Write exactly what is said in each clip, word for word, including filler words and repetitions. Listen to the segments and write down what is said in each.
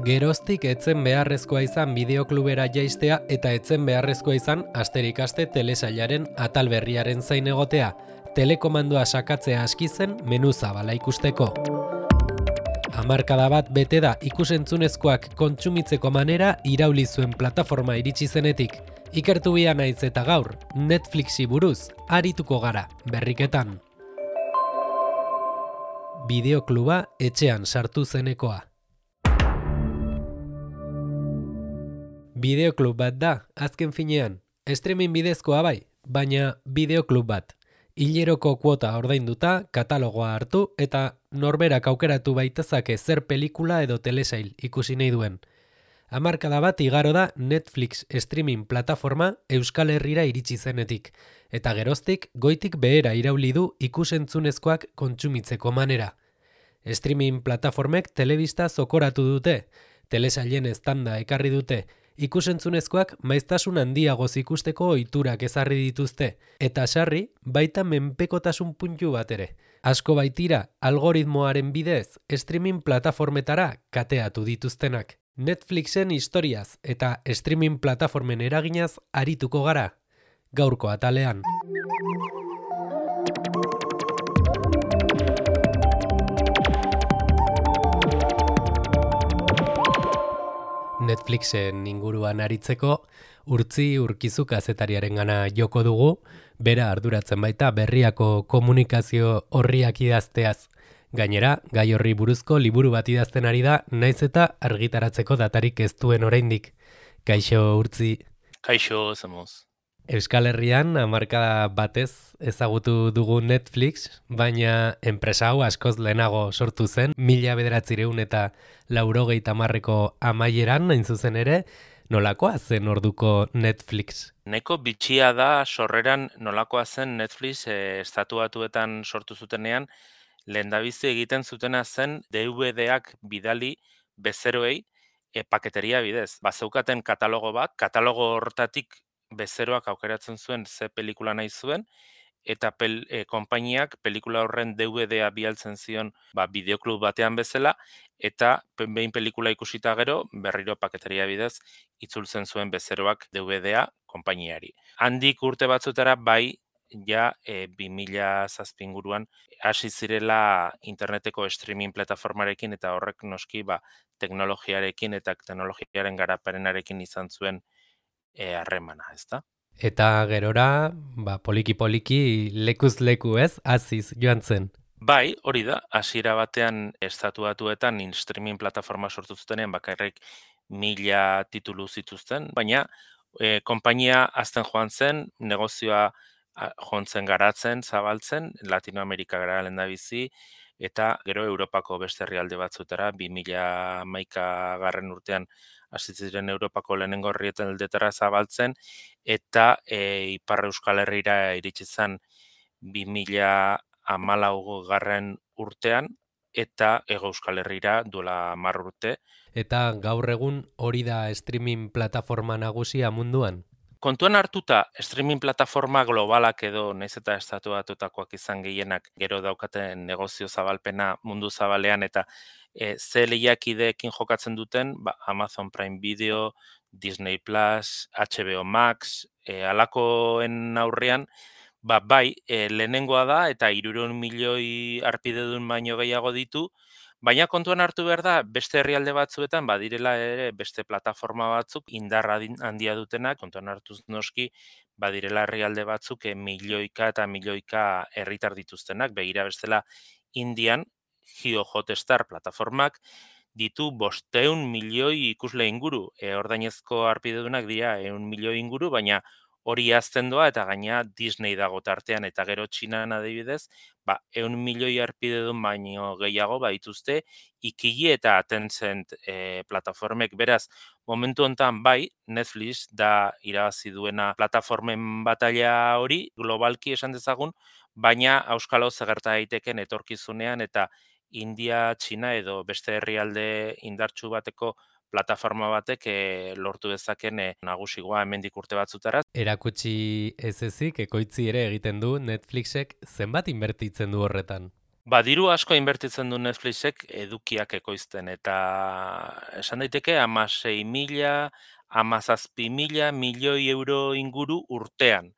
Geroztik etzen beharrezkoa izan bideoklubera jaistea eta etzen beharrezkoa izan asterik aste telesailaren atal berriaren zain egotea, telekomandoa sakatzea aski zen menu zabala ikusteko. Hamarkada bat bete da ikusentzunezkoak kontsumitzeko manera irauli zuen plataforma iritsi zenetik. Ikertu bia naiz eta gaur, Netflixi buruz arituko gara berriketan. Bideokluba etxean sartu zenekoa. Bideoklub bat da, azken finean. Streaming bidezkoa bai, baina bideoklub bat. Hileroko kuota ordainduta, katalogoa hartu eta norberak aukeratu baitezake zer pelikula edo telesail ikusi nahi duen. Hamarkada bat igaro da Netflix streaming plataforma Euskal Herrira iritsi zenetik, eta geroztik goitik behera irauli du ikusentzunezkoak kontsumitzeko manera. Streaming plataformek telebista zokoratu dute, telesailen eztanda ekarri dute, ikusentzunezkoak maiztasun handiagoz ikusteko ohiturak ezarri dituzte, eta sarri baita menpekotasun puntu bat ere. Asko baitira algoritmoaren bidez streaming plataformetara kateatu dituztenak. Netflixen historiaz eta streaming plataformen eraginaz arituko gara, gaurko atalean. Netflixen inguruan aritzeko, Urtzi Urkizu kazetariaren gana joko dugu, bera arduratzen baita berriako komunikazio horriak idazteaz. Gainera, gai horri buruzko liburu bat idazten ari da, naiz eta argitaratzeko datarik ez duen oraindik. Kaixo, Urtzi. Kaixo, zemoz. Euskal Herrian hamarkada batez ezagutu dugu Netflix, baina enpresa hau askoz lehenago sortu zen, mila bederatzireun eta laurogeita hamarreko amaieran, hain zuzen ere, nolakoa zen orduko Netflix? Neko bitxia da sorreran nolakoa zen Netflix e, estatuatuetan sortu zutenean, lehendabizi egiten zutena zen D V D-ak bidali bezeroei e, paketeria bidez. Bazeukaten katalogo bat, katalogo hortatik bezeroak aukeratzen zuen ze pelikula nahi zuen, eta pel, e, konpainiak pelikula horren D V D-a bialtzen zion ba, bideoklub batean bezala, eta behin pelikula ikusita gero, berriro paketeria bidez, itzultzen zuen bezeroak D V D-a konpainiari. Handik urte batzutara bai, ja e, bi mila zazpi inguruan hasi zirela interneteko streaming plataformarekin eta horrek noski ba, teknologiarekin eta teknologiaren garaperenarekin izan zuen e, harremana, ezta? Eta gerora, ba, poliki-poliki lekuz leku ez, aziz joan zen. Bai, hori da, hasiera batean estatuatuetan streaming plataforma sortu zutenean bakarrik mila titulu zituzten, baina e, konpainia azten joan zen, negozioa joan zen garatzen, zabaltzen, Latinoamerika gara lehendabizi, eta gero Europako beste herrialde batzutara, bi mila hamaika garren urtean hasi ziren Europako lehenengo herrialdetara zabaltzen, eta e, Ipar Euskal Herrira iritsi zen bi mila hamalau garren urtean, eta Hego Euskal Herrira duela hamar urte. Eta gaur egun hori da streaming plataforma nagusia munduan? Kontuan hartuta, streaming plataforma globalak edo naiz eta estatuatutakoak izan gehienak gero daukaten negozio zabalpena mundu zabalean eta e, ze lehiakideekin jokatzen duten, ba, Amazon Prime Video, Disney Plus, H B O Max, e, alakoen aurrean, ba, bai, e, lehenengoa da eta hirurehun milioi harpidedun baino gehiago ditu, baina kontuan hartu behar da, beste herrialde batzuetan, badirela ere beste plataforma batzuk indarra handia dutenak, kontuan hartuz noski, badirela herrialde batzuk e, milioika eta milioika herritar dituztenak, begira bestela Indian, Jio Hotstar plataformak, ditu bosteun milioi ikusle inguru, e, ordainezko harpidedunak dira ehun milioi inguru, baina hori azten doa eta gaina Disney dago tartean eta gero Txinan adibidez, ba, ehun milioi harpidedun baino gehiago baituzte Ikili eta Tencent e, plataformek. Beraz, momentu hontan bai, Netflix da irabazi duena plataformen batalla hori, globalki esan dezagun, baina auskalo zegerta daiteken etorkizunean eta India, Txina edo beste herrialde indartsu bateko plataforma batek e, lortu dezaken e, nagusigoa hemendik urte batzutara. Erakutsi ez ezik, ekoitzi ere egiten du Netflixek zenbat inbertitzen du horretan? Ba, diru asko inbertitzen du Netflixek edukiak ekoizten, eta esan daiteke hamasei mila, hamazazpi mila milioi euro inguru urtean.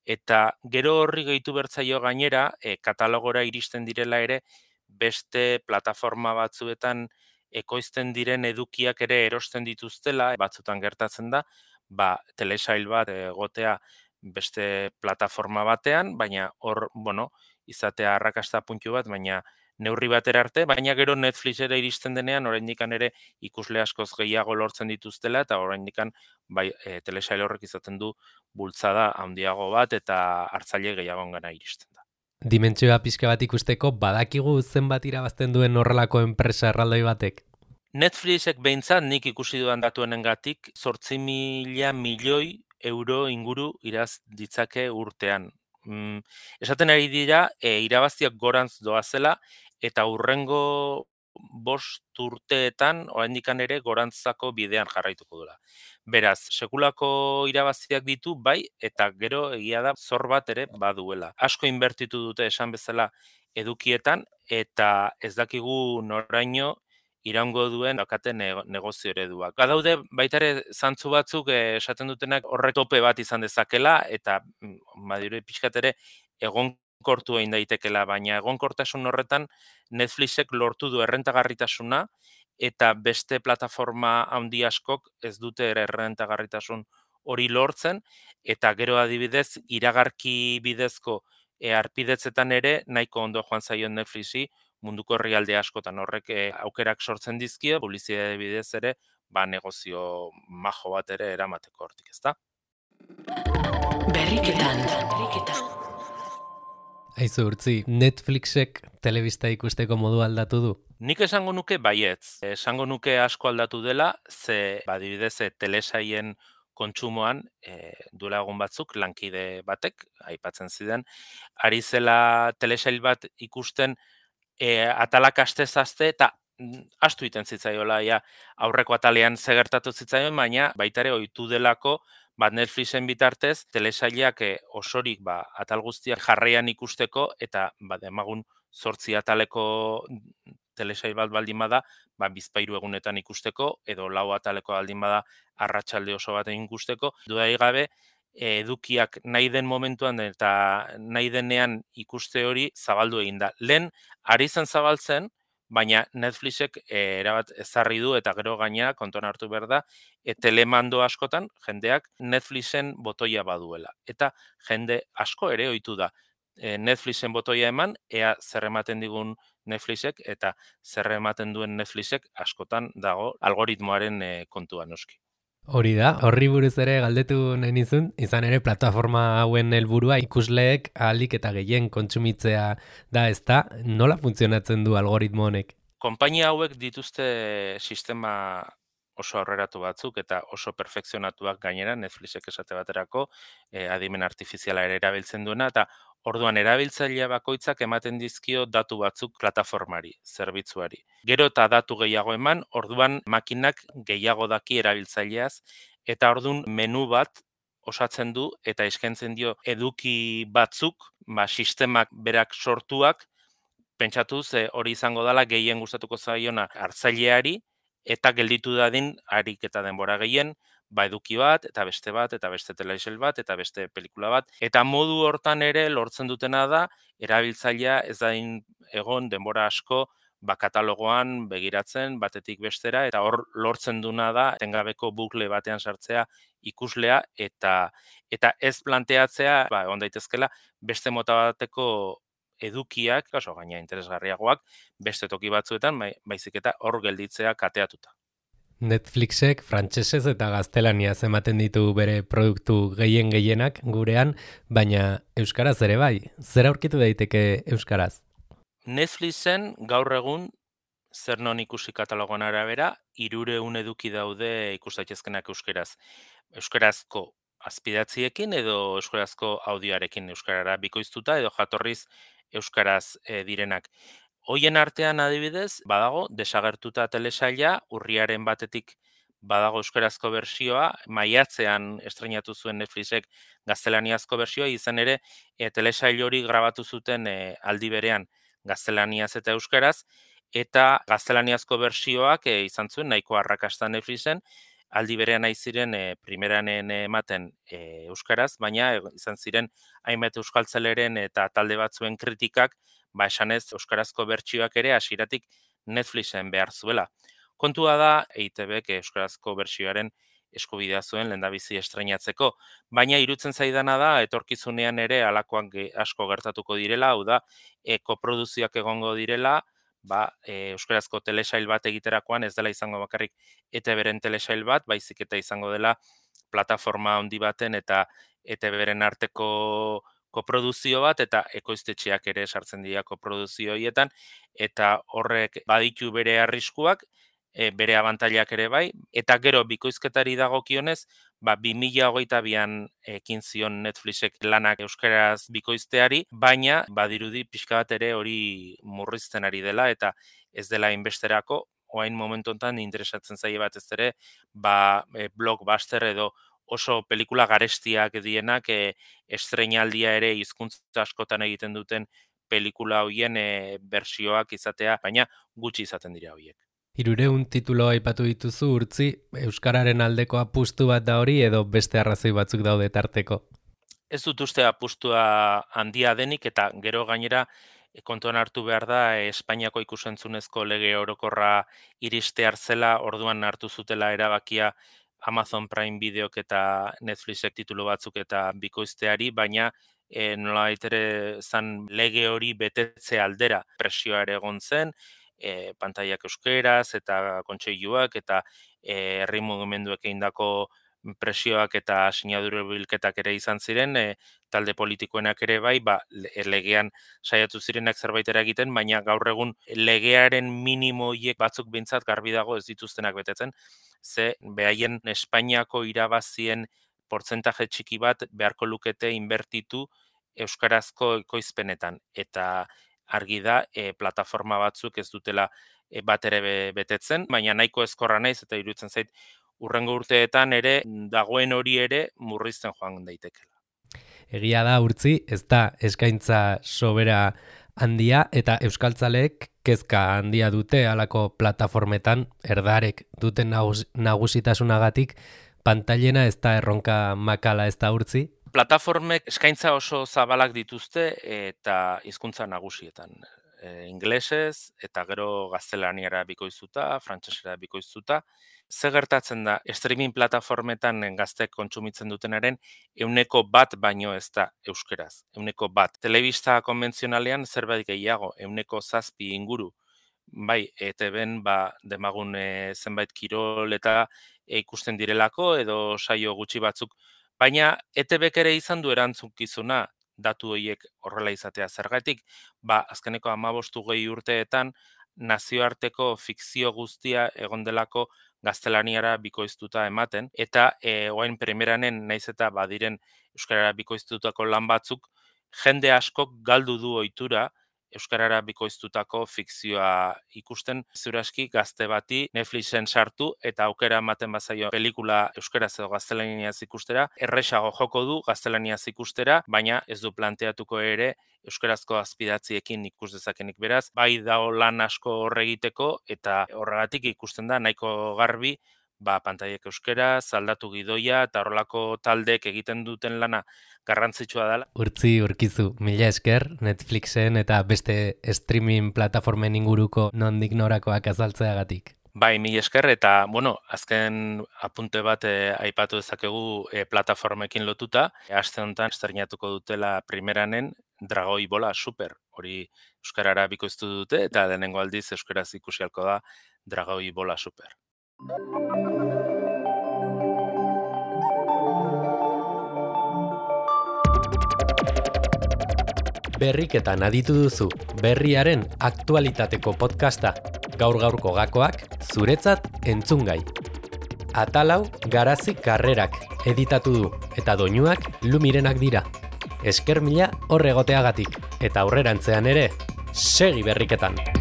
Eta gero horri gehitu bertzaio gainera, e, katalogora iristen direla ere, beste plataforma batzuetan ekoizten diren edukiak ere erosten dituztela, batzutan gertatzen da, ba, telesail bat egotea beste plataforma batean, baina hor, bueno, izatea arrakasta puntu bat, baina neurri batera arte, baina gero Netflixera iristen denean, oraindikan ere ikusle askoz gehiago lortzen dituztela, eta oraindikan bai, e, telesail horrek izaten du bultzada handiago bat eta hartzaile gehiagongana iristen da. Dimentsioa pixka bat ikusteko badakigu zenbat irabazten duen horrelako enpresa erraldoi batek? Netflixek behintzat nik ikusi dudan datuenengatik zortzi mila milioi euro inguru iraz ditzake urtean. Mm, esaten ari dira, e, irabaztiak gorantz doazela eta hurrengo bost urteetan oraindikan ere gorantzako bidean jarraituko dela. Beraz, sekulako irabaziak ditu bai eta gero egia da zor bat ere baduela. Asko inbertitu dute esan bezala edukietan eta ez dakigu noraino iraungo duen daukaten negozio ereduak. Badaude baita ere zantzu batzuk eh, esaten dutenak horrek tope bat izan dezakela eta badire pixkat ere egonkortu egin daitekela, baina egonkortasun horretan Netflixek lortu du errentagarritasuna eta beste plataforma handi askok ez dute ere errentagarritasun hori lortzen eta gero adibidez iragarki bidezko e, arpidetzetan ere nahiko ondo joan zaion Netflixi munduko herrialde askotan horrek e, aukerak sortzen dizkio, publizitate bidez ere, ba negozio majo bat ere eramateko hortik, ezta? Berriketan, berriketan. Aizu urtzi, Netflixek telebista ikusteko modu aldatu du? Nik esango nuke baietz. Esango nuke asko aldatu dela, ze badibidez e, telesaien kontsumoan e, duela egun batzuk lankide batek aipatzen zidan ari zela telesail bat ikusten e, atalak astez-aste eta astu iten zitzaiola ja aurreko atalean ze gertatu zitzaion, baina baita ere ohitu delako bat Netflixen bitartez telesailak e, osorik ba atal guztiak jarraian ikusteko eta ba demagun zortzi ataleko telesail bat baldin bada, ba bizpahiru egunetan ikusteko edo lau ataleko baldin bada arratsalde oso batean ikusteko. Dudarik gabe edukiak nahi den momentuan eta nahi denean ikuste hori zabaldu egin da. Lehen ari zen zabaltzen, baina Netflixek e, erabat ezarri du eta gero gainera kontuan hartu behar da, e, telemando askotan jendeak Netflixen botoia baduela. Eta jende asko ere ohitu da e, Netflixen botoia eman, ea zer ematen digun Netflixek eta zer ematen duen Netflixek askotan dago algoritmoaren e, kontua noski. Hori da, horri buruz ere galdetu nenizun, izan ere plataforma hauen helburua ikusleek ahalik eta gehien kontsumitzea da, ezta, nola funtzionatzen du algoritmo honek? Konpainia hauek dituzte sistema oso aurreratu batzuk eta oso perfekzionatuak gainera, Netflixek esate baterako, e, adimen artifiziala ere erabiltzen duena, eta orduan erabiltzailea bakoitzak ematen dizkio datu batzuk plataformari, zerbitzuari. Gero eta datu gehiago eman, orduan makinak gehiago daki erabiltzaileaz, eta orduan menu bat osatzen du eta eskaintzen dio eduki batzuk, ba, sistemak berak sortuak, pentsatuz e, hori izango dela gehien gustatuko zaiona hartzaileari eta gelditu dadin harik eta denbora gehien, ba eduki bat, eta beste bat, eta beste telesail bat, eta beste pelikula bat. Eta modu hortan ere lortzen dutena da, erabiltzailea ez dain egon denbora asko, ba katalogoan begiratzen batetik bestera, eta hor lortzen duna da, etengabeko bukle batean sartzea ikuslea, eta eta ez planteatzea, ba, egon daitezkela, beste mota bateko edukiak, oso gaina interesgarriagoak, beste toki batzuetan, bai, baizik eta hor gelditzea kateatuta. Netflixek frantsesez eta gaztelaniaz ematen ditu bere produktu gehien gehienak gurean, baina euskaraz ere bai. Zer aurkitu daiteke euskaraz? Netflixen gaur egun zer non ikusi katalogoan arabera, hirureun eduki daude ikus daitezkenak euskeraz. Euskarazko azpidatziekin edo euskarazko audioarekin euskarara bikoiztuta edo jatorriz euskaraz e, direnak. Hoien artean adibidez, badago desagertuta telesaila, urriaren batetik badago euskarazko bersioa, maiatzean estreinatu zuen Netflixek gaztelaniazko bersioa, izan ere e, telesail hori grabatu zuten e, aldi berean gaztelaniaz eta euskaraz, eta gaztelaniazko bertsioak e, izan zuen nahiko arrakasta Netflixen, aldi berean nahi ziren e, primeranen ematen e, euskaraz, baina e, izan ziren hainbat euskaltzaleren eta talde batzuen kritikak, ba esanez euskarazko bertsioak ere hasieratik Netflixen behar zuela. Kontua da E I Te Bek euskarazko bertsioaren eskubidea zuen lehendabizi estreinatzeko, baina irutzen zaidana da etorkizunean ere halakoak asko gertatuko direla, hau da, e, koproduzioak egongo direla, ba, e, euskarazko telesail bat egiterakoan ez dela izango bakarrik E Te Beren telesail bat, baizik eta izango dela plataforma handi baten eta E Te Beren arteko koproduzio bat, eta ekoiztetxeak ere sartzen dira koproduzio horietan, eta horrek baditu bere arriskuak, e, bere abantailak ere bai, eta gero bikoizketari dagokionez, ba, bi mila hogeita bian ekin zion Netflixek lanak euskaraz bikoizteari, baina badirudi pixka bat ere hori murrizten ari dela, eta ez dela inbesterako, oain momentu honetan interesatzen zaie bat ez ere, ba, e, blockbuster edo oso pelikula garestiak dienak e, estreinaldia ere hizkuntza askotan egiten duten pelikula hoien e, bersioak izatea, baina gutxi izaten dira hoiek. Hirurehun titulo aipatu dituzu Urtzi, euskararen aldeko apustu bat da hori edo beste arrazoi batzuk daude tarteko? Ez dut uste apustua handia denik, eta gero gainera e, kontuan hartu behar da e, Espainiako ikusentzunezko lege orokorra iristear zela, orduan hartu zutela erabakia Amazon Prime Videok eta Netflixek titulu batzuk eta bikoizteari, baina e, nolabait ere zan lege hori betetze aldera presioa ere egon zen, e, pantaiak euskeraz eta kontseiluak eta e, herri mugimenduek egindako presioak eta sinadura bilketak ere izan ziren, e, talde politikoenak ere bai, ba, legean saiatu zirenak zerbait egiten, baina gaur egun legearen minimo hiek batzuk behintzat garbi dago ez dituztenak betetzen, ze behaien Espainiako irabazien portzentaje txiki bat beharko lukete inbertitu euskarazko ekoizpenetan, eta argi da e, plataforma batzuk ez dutela e, bat ere be, betetzen, baina nahiko ezkorra naiz eta iruditzen zait urrengo urteetan ere dagoen hori ere murrizten joan daitekela. Egia da Urtzi, ez da eskaintza sobera handia eta euskaltzaleek kezka handia dute halako plataformetan, erdarek duten nagus, nagusitasunagatik, pantailena ez da erronka makala ez da Urtzi? Plataformek eskaintza oso zabalak dituzte eta hizkuntza nagusietan. E, ingelesez eta gero gaztelaniara bikoiztuta, frantsesera bikoiztuta. Ze gertatzen da, streaming plataformetan gaztek kontsumitzen dutenaren euneko bat baino ez da euskeraz, euneko bat. Telebista konbentzionalean zerbait gehiago, euneko zazpi inguru. Bai, E Te Ben ba, demagun e, zenbait kirol eta e, ikusten direlako edo saio gutxi batzuk. Baina E Te Bek ere izan du erantzukizuna datu horiek horrela izatea zergatik, ba, azkeneko hamabost hogei urteetan nazioarteko fikzio guztia egon delako gaztelaniara bikoiztuta ematen, eta e, oain primeranen naiz eta badiren euskarara bikoiztutako lan batzuk, jende askok galdu du ohitura euskarara bikoiztutako fikzioa ikusten, zuraski gazte bati Netflixen sartu eta aukera ematen bazaio pelikula euskaraz edo gaztelaniaz ikustera, erresago joko du gaztelaniaz ikustera, baina ez du planteatuko ere euskarazko azpidatziekin ikus dezakenik, beraz, bai dago lan asko horre egiteko eta horregatik ikusten da nahiko garbi ba, pantaiek euskaraz, aldatu gidoia eta horrelako taldeek egiten duten lana garrantzitsua dela. Urtzi Urkizu, mila esker Netflixen eta beste streaming plataformen inguruko nondik norakoak azaltzeagatik. Bai, mila esker, eta, bueno, azken apunte bat e, aipatu dezakegu e, plataformekin lotuta. E, aste honetan estreinatuko dutela primeranen Dragoi Bola Super. Hori euskarara bikoiztu dute eta lehenengo aldiz euskaraz ikusi ahalko da Dragoi Bola Super. Berriketan aditu duzu, berriaren aktualitateko podcasta. Gaur-gaurko gakoak, zuretzat entzungai. Atalau Garazi Karrerak editatu du, eta doinuak Lumirenak dira. Esker mila horregoteagatik, eta aurrerantzean ere, segi berriketan!